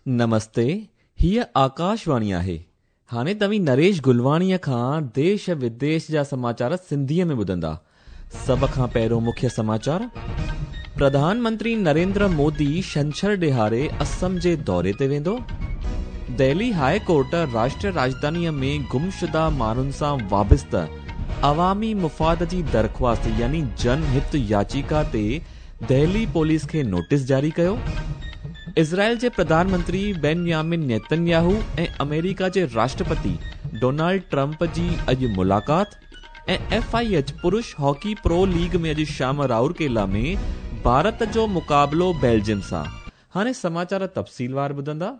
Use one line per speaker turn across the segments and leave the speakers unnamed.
نمستي، هيء آڪاشواڻي آهي. هاڻي توهين نريش گلواڻيء کان ديش وديش جا سماچار سنڌيء ۾ ٻڌندا. سڀ کان پهريون مکيه سماچار. پرڌان منتري نريندر مودي ڇنڇر ڏهاڙي اسم جي دوري تي ويندو. دهلي هاء ڪورٽ راشٽريه راڄڌانيء ۾ گمشده ماڻهن سان وابسته عوامي مفاد جي درخواست يعني جن هت ياچيڪا تي دهلي پوليس کي نوٽيس جاري ڪيو. اسرائيل جي پرڌان منتري بينيامن نيتنياهو ۽ آمريڪا جي راشٽرپتي ڊونلڊ ٽرمپ جي اڄ ملاقات ۽ ايف I H پرش هاڪي پرو ليگ ۾ اڄ شام رائورڪيلا ۾ ڀارت جو مقابلو بيلجيم سان. هاڻي سماچار تفصيلوار ٻڌندا.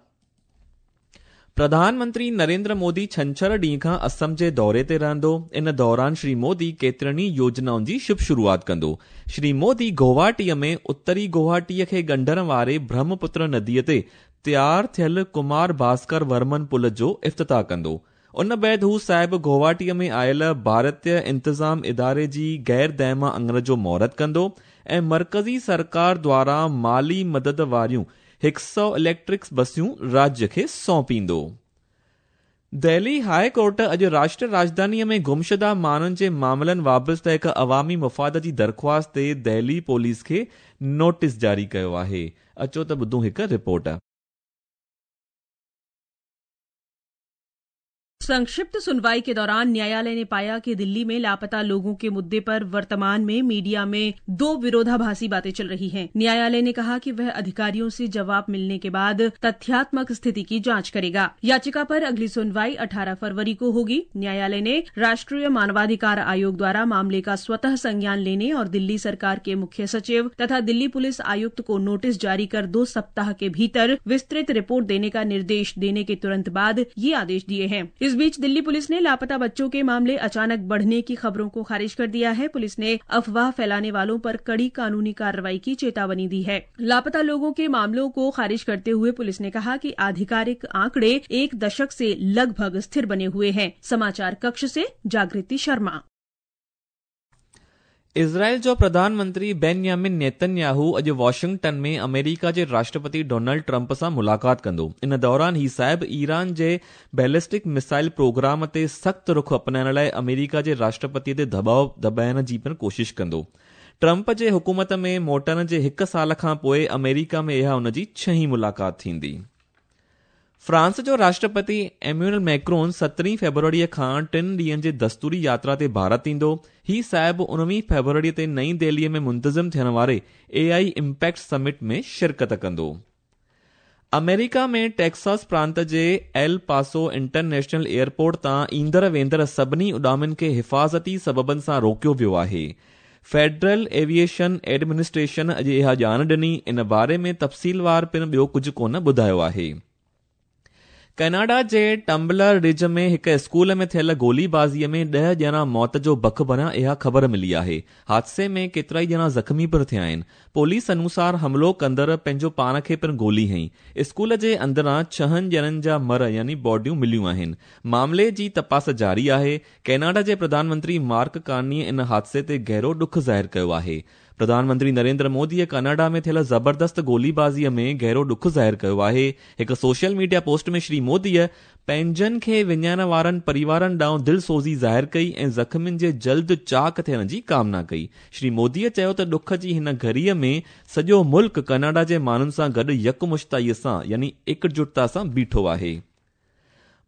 پرڌان منتري نريندر مودي ڇنڇر ڏينهن کان اسم جي دوري تي رهندو. ان دوران شري مودي ڪيترن ئي يوجنائن جي شڀ شروعات ڪندو. شري مودي گوهاٽيء ۾ اتري گوهاٽيء کي ڳنڍڻ واري برهمپتر نديء تي تيار ٿيل ڪمار ڀاسڪر ورمن پل جو افتتاح ڪندو. ان بعد هو صاحب گوهاٽيء ۾ آيل ڀارتيه انتظام اداري جي غير دائما اڱڻ جو مهورت ڪندو ۽ مرڪزي سرڪار دواران مالي مدد واريون هڪ سئو اليڪٽرڪ بسيون راجيه کي سونپيندو. دهلي هاء ڪورٽ اڄ راشٽريه راڄڌانيء ۾ گمشده ماڻهن جي معاملن وابسته هڪ عوامي مفاد جي درخواست تي دهلي پوليس کي نوٽيس جاري ڪيو آهي. اچو ته ٻڌون هڪ رپورٽ.
संक्षिप्त सुनवाई के दौरान न्यायालय ने पाया कि दिल्ली में लापता लोगों के मुद्दे पर वर्तमान में मीडिया में दो विरोधाभासी बातें चल रही हैं। न्यायालय ने कहा कि वह अधिकारियों से जवाब मिलने के बाद तथ्यात्मक स्थिति की जांच करेगा। याचिका पर अगली सुनवाई 18 फरवरी को होगी। न्यायालय ने राष्ट्रीय मानवाधिकार आयोग द्वारा मामले का स्वतः संज्ञान लेने और दिल्ली सरकार के मुख्य सचिव तथा दिल्ली पुलिस आयुक्त को नोटिस जारी कर 2 सप्ताह के भीतर विस्तृत रिपोर्ट देने का निर्देश देने के तुरंत बाद ये आदेश दिए हैं। इस बीच दिल्ली पुलिस ने लापता बच्चों के मामले अचानक बढ़ने की खबरों को खारिज कर दिया है। पुलिस ने अफवाह फैलाने वालों पर कड़ी कानूनी कार्रवाई की चेतावनी दी है। लापता लोगों के मामलों को खारिज करते हुए पुलिस ने कहा कि आधिकारिक आंकड़े एक दशक से लगभग स्थिर बने हुए हैं। समाचार कक्ष से जागृति शर्मा।
इसराइल जो प्रधान मंत्री बेन्यामिन नेतन्याहू अॼु वॉशिंगटन में अमेरिका जे राष्ट्रपति डोनाल्ड ट्रंप सां मुलाक़ात कंदो। इन दौरान ही साहिब ईरान जे बैलिस्टिक मिसाइल प्रोग्राम ते सख़्तु रुख अपनाइण लाइ अमेरिका जे राष्ट्रपतीअ ते दॿाव दॿाइण जी पिणु कोशिश कंदो। ट्रंप जे हुकूमत में मोटण जे हिकु साल खां पोइ अमेरिका में इहा हुन जी छहीं मुलाक़ात थींदी। फ्रांस जो राष्ट्रपति एम्यूनल मैक्रोन 17 फेब्रुअरीअ खां 3 ॾींहनि जे दस्तूरी यात्रा ते भारत ईंदो। ही साहिब 19 फेब्रुअरीअ ते नई दिल्लीअ में मुंतज़िम थियण वारे एआई इम्पैक्ट समिट में शिरकत कंदो। अमेरिका में टेक्सास प्रांत J El Paso international airport तां ईंदड़ वेंदड़ सभिनी उॾामनि खे हिफ़ाज़ती सबबनि सां रोकियो वियो आहे। फेडरल एविएशन एडमिनिस्ट्रेशन अॼु इहा ॼाण ॾिनी। इन बारे में तफ़सीलवार पिणु ॿियो कुझु कोन ॿुधायो आहे। कनाडा जे टम्बलर रिज में हिकु स्कूल में थियल गोलीबाज़ीअ में 10 ॼणा मौत जो बख बणिया, इहा ख़बर मिली आहे। हादसे में केतिरा ई ॼणा ज़ख़्मी पिणु थिया आहिनि। पुलिस अनुसार हमलो कंदड़ पंहिंजो पाण खे पिणु गोली हई। स्कूल जे अंदरां 6 ॼणनि जा मर यानी बॉडियूं मिलियूं आहिनि। मामले जी तपास जारी आहे। कनाडा जे प्रधानमंत्री मार्क कार्नी इन हादसे ते गहिरो ॾुख ज़ाहिर कयो आहे। प्रधानमंत्री नरेंद्र मोदीअ कनाडा में थियल ज़बरदस्त गोलीबाज़ीअ में गहिरो ॾुख ज़ाहिर कयो आहे। हिकु सोशल मीडिया पोस्ट में श्री मोदीअ पंहिंजनि खे विञाइण वारनि परिवारनि ॾांहुं दिलसोज़ी ज़ाहिर कई ऐं ज़ख़्मियुनि जे जल्द चाक थियण जी कामना कई। श्री मोदीअ चयो त ॾुख जी हिन घड़ीअ में सॼो मुल्क कनाडा जे माण्हुनि सां गॾु यकमुश्ताईअ सां यानी एकजुटता सां बीठो आहे।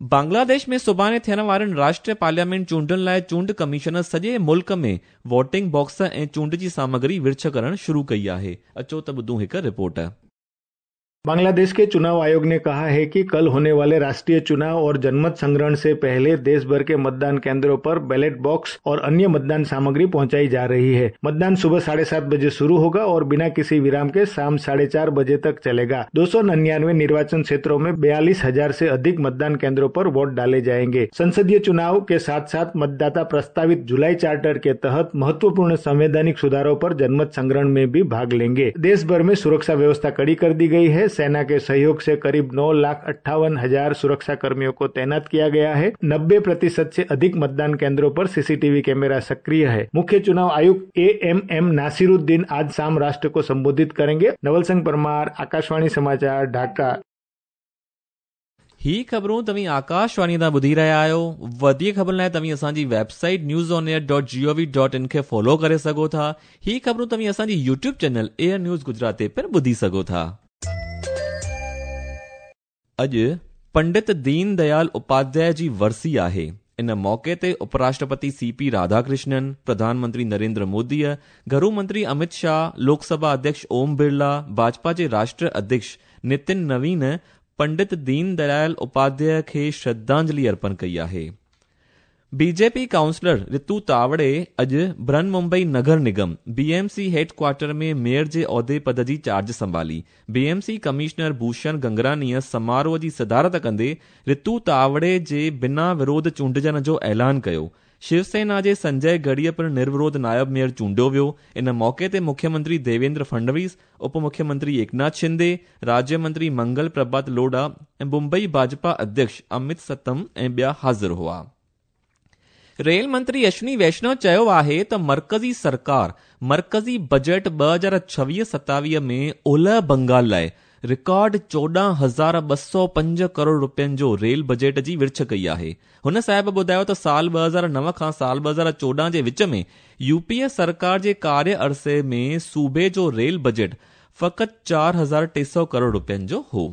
बांग्लादेश में सुभाणे थियण वारनि राष्ट्रीय पार्लियामेंट चूंडुनि लाइ चूंड कमीशन सॼे मुल्क में वोटिंग बॉक्स ऐं चूंड जी सामग्री विर्छ करणु शुरू कई आहे। अचो त ॿुधूं हिकु रिपोर्ट।
बांग्लादेश के चुनाव आयोग ने कहा है कि कल होने वाले राष्ट्रीय चुनाव और जनमत संग्रहण से पहले देश भर के मतदान केंद्रों पर बैलेट बॉक्स और अन्य मतदान सामग्री पहुंचाई जा रही है। मतदान सुबह 7:30 बजे शुरू होगा और बिना किसी विराम के शाम 4:30 बजे तक चलेगा। 299 निर्वाचन क्षेत्रों में 42,000 से अधिक मतदान केंद्रों पर वोट डाले जाएंगे। संसदीय चुनाव के साथ साथ मतदाता प्रस्तावित जुलाई चार्टर के तहत महत्वपूर्ण संवैधानिक सुधारों पर जनमत संग्रहण में भी भाग लेंगे। देश भर में सुरक्षा व्यवस्था कड़ी कर दी गई है। सेना के सहयोग से करीब 9,58,000 सुरक्षा कर्मियों को तैनात किया गया है। 90% से अधिक मतदान केंद्रों पर सीसीटीवी कैमरा सक्रिय है। मुख्य चुनाव आयुक्त AMM Nasiruddin आज शाम राष्ट्र को संबोधित करेंगे। नवल सिंह परमार, आकाशवाणी समाचार, ढाका।
ही ख़बरूं तव्हीं आकाशवाणी तां ॿुधी रहिया आहियो। वधीक ख़बरुनि लाइ तव्हीं असांजी वेबसाइट newsonair.gov.in खे फॉलो करे सघो था। ही ख़बरूं तव्हीं असांजी YouTube channel AIR news Gujarat ते पिणु ॿुधी सघो था। अॼु पंडित दीन दयाल उपाध्याय जी वरसी आहे। इन मौक़े ते उपराष्ट्रपति सीपी राधाकृष्णन, प्रधानमंत्री नरेंद्र मोदीअ, घरू मंत्री अमित शाह, लोकसभा अध्यक्ष ओम बिरला, भाजपा जे राष्ट्रीय अध्यक्ष नितिन नवीन पंडित दीन दयाल उपाध्याय खे श्रद्धांजलि अर्पण कई आहे। बीजेपी काउंसलर रितु तावड़े अॼु बृहन मुंबई नगर निगम बीएमसी हेडक्वार्टर में मेयर जे ओहदे पद जी चार्ज संभाली। बीएमसी कमिश्नर भूषण गंगरानीअ समारोह जी सदारत कंदे रितु तावड़े जे बिना विरोध चूंडिजण जो ऐलान कयो। शिवसेना जे संजय गढ़ीअ पिणु निर्विरोध नायब मेयर चूंडियो वियो। इन मौक़े ते मुख्यमंत्री देवेंद्र फडणवीस, उप मुख्यमंत्री एकनाथ शिंदे, राज्य मंत्री मंगल प्रभात लोढ़ा ऐं मुंबई भाजपा अध्यक्ष अमित सतम ऐं ॿिया हाज़िर हुआ। रेल मंत्री अश्विनी वैष्णव चयो आहे त मर्कज़ी सरकार मर्कज़ी बजट 2026-27 में ओलह बंगाल लाइ रिकॉर्ड 14,205 करोड़ रुपयनि जो रेल बजट जी विर्छ कई आहे। हुन साहिब ॿुधायो त साल 2009 खां साल 2014 जे विच में यूपीए सरकार जे कार्य अरसे में सूबे जो रेल बजट फ़क़ति 4,300 करोड़ रुपयनि जो हो।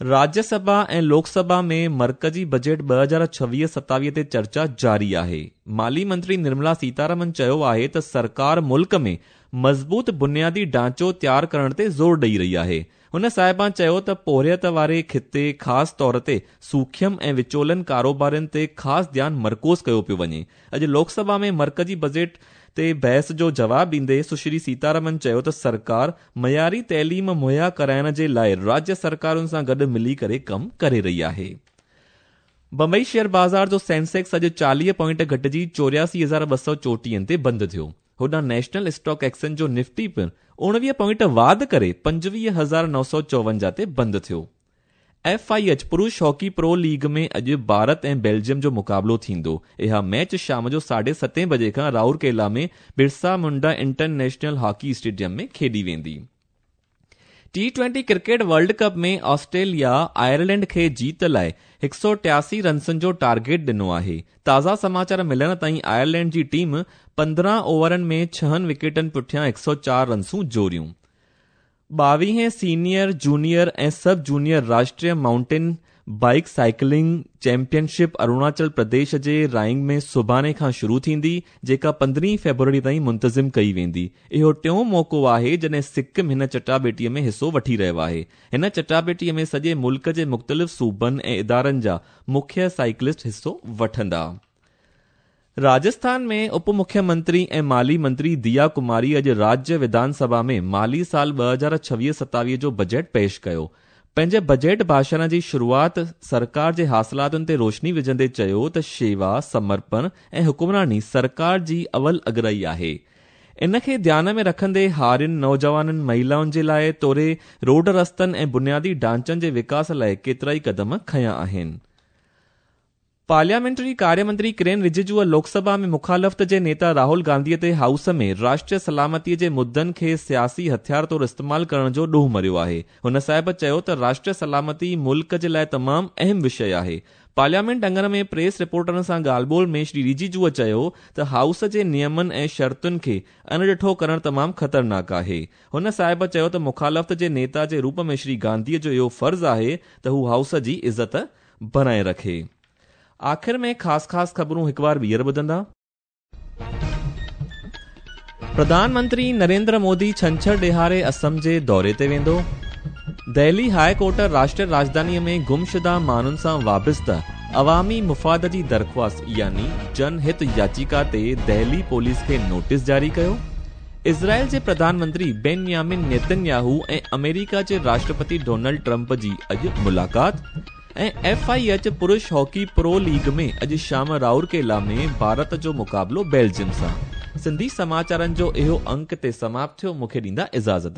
राज्यसभा ऐं लोकसभा में मर्कज़ी बजट 2026-27 ते चर्चा जारी आहे। माली मंत्री निर्मला सीतारमन चयो आहे त सरकार मुल्क में मज़बूत बुनियादी ढांचो तयार करण ते ज़ोर ॾेई रही आहे। हुन साहिबा चयो त पोरियत वारे खिते ख़ासि तौर ते सूखम ऐं विचोलनि कारोबारनि ते ख़ासि ध्यानु मरकूज़ कयो पियो वञे। अॼु लोकसभा में मर्कज़ी बजट ते बहस जो जवाब ॾींदे सुश्री सीतारमन चयो त सरकार मयारी तइलीम मुहैया कराइण जे लाइ राज्य सरकारुनि सां गॾु मिली करे कमु करे रही आहे। बंबई शेयर बाज़ार जो सेंसेक्स अॼु 40 पॉइंट घटिजी 84,234 ते बंदि थियो। होॾां नेशनल स्टॉक एक्सचेंज जो निफ्टी पिणु 19 पॉइंट वाध करे 25,954 ते बंदि थियो। एफआईएच पुरुष हॉकी प्रो लीग में अॼु भारत ऐं बेल्जियम जो मुक़ाबिलो थींदो। इहा मैच शाम जो 7:30 बजे खां राउरकेला में Birsa Munda international hockey stadium में खेॾी वेंदी। T20 cricket world cup में ऑस्ट्रेलिया आयरलैंड खे जीत लाइ 183 रन्सुनि जो टारगेट ॾिनो आहे। ताज़ा समाचार मिलण ताईं आयरलैंड जी टीम 15 ओवरनि में 6 विकेटनि पुठियां 104 रन्सूं जोड़ियूं। 22वें सीनियर, जूनियर ऐं सब जूनियर राष्ट्रीय mountain bike cycling championship Arunachal Pradesh जे राइंग में सुभाणे खां शुरू थींदी, जेका 15 फेब्रुअरी ताईं मुंतज़िम कई वेंदी। इहो टियों मौक़ो आहे जॾहिं सिक्किम हिन चटाबेटीअ में हिसो वठी रहियो आहे। हिन चटाबेटीअ में सॼे मुल्क जे मुख़्तलिफ़ सूबनि ऐं इदारनि जा मुख्य साइकिलिस्ट हिसो वठंदा। राजस्थान में उप मुख्यमंत्री ऐं माली मंत्री दिया कुमारी अॼु राज्य विधानसभा में माली साल 2026-27 जो बजट पेश कयो। पंहिंजे बजट भाषण जी शुरूआत सरकार जे हासिलातुनि ते रोशनी विझंदे चयो त शेवा, समर्पण ऐं हुकुमरानी सरकार जी अवल अगराई आहे। इन खे ध्यान में रखंदे हारियुनि, नौजवाननि, महिलाउनि जे लाइ तोड़े रोड रस्तनि ऐं बुनियादी ढांचनि जे विकास लाइ केतिरा ई क़दम खयां आहिनि। पार्लियामेंटरी कार्य मंत्री किरेन रिजिजूअ लोकसभा में मुखालफ़त जे नेता राहुल गांधीअ ते हाउस में राष्ट्रीय सलामतीअ जे मुद्दनि खे सियासी हथियार तौर इस्तेमालु करण जो ॾोह मरियो आहे। हुन साहिब चयो त राष्ट्रीय सलामती मुल्क जे लाइ तमामु अहम विषय आहे। पार्लियामेंट अंगण में प्रेस रिपोर्टरनि सां ॻाल्हि ॿोल में श्री रिजिजूअ चयो त हाउस जे नियमनि ऐं शर्तुनि खे अणॾिठो करणु तमामु ख़तरनाक आहे। हुन साहिब चयो त मुखालफ़त जे नेता जे रूप में श्री गांधीअ जो इहो फ़र्ज़ आहे त हू हाउस जी इज़त बणाए रखे। आख़िर में ख़ासि ख़ासि ख़बरूं हिकु बार ॿीहर ॿुधंदा। प्रधानमंत्री नरेंद्र मोदी छंछर ॾिहाड़े असम जे दौरे ते वेंदो। दिल्ली हाई कोर्ट राष्ट्रीय राजधानीअ में गुमशुदा माण्हुनि सां वाबस्ता अवामी मुफ़ाद जी दरख़्वास्त यानी जनहित याचिका ते दिल्ली पुलिस खे नोटिस जारी कयो। इज़राइल जे प्रधानमंत्री बेन्यामिन नेतन्याहू ऐं अमेरिका जे राष्ट्रपति डोनाल्ड ट्रंप जी अॼु मुलाक़ात। ऐं एफआईएच पुरुष हॉकी प्रो लीग में अॼु शाम राउरकेला में भारत जो मुक़ाबिलो बेल्जियम सां। सिंधी समाचारनि जो इहो अंक ते समाप्त थियो। मूंखे ॾींदा इजाज़त।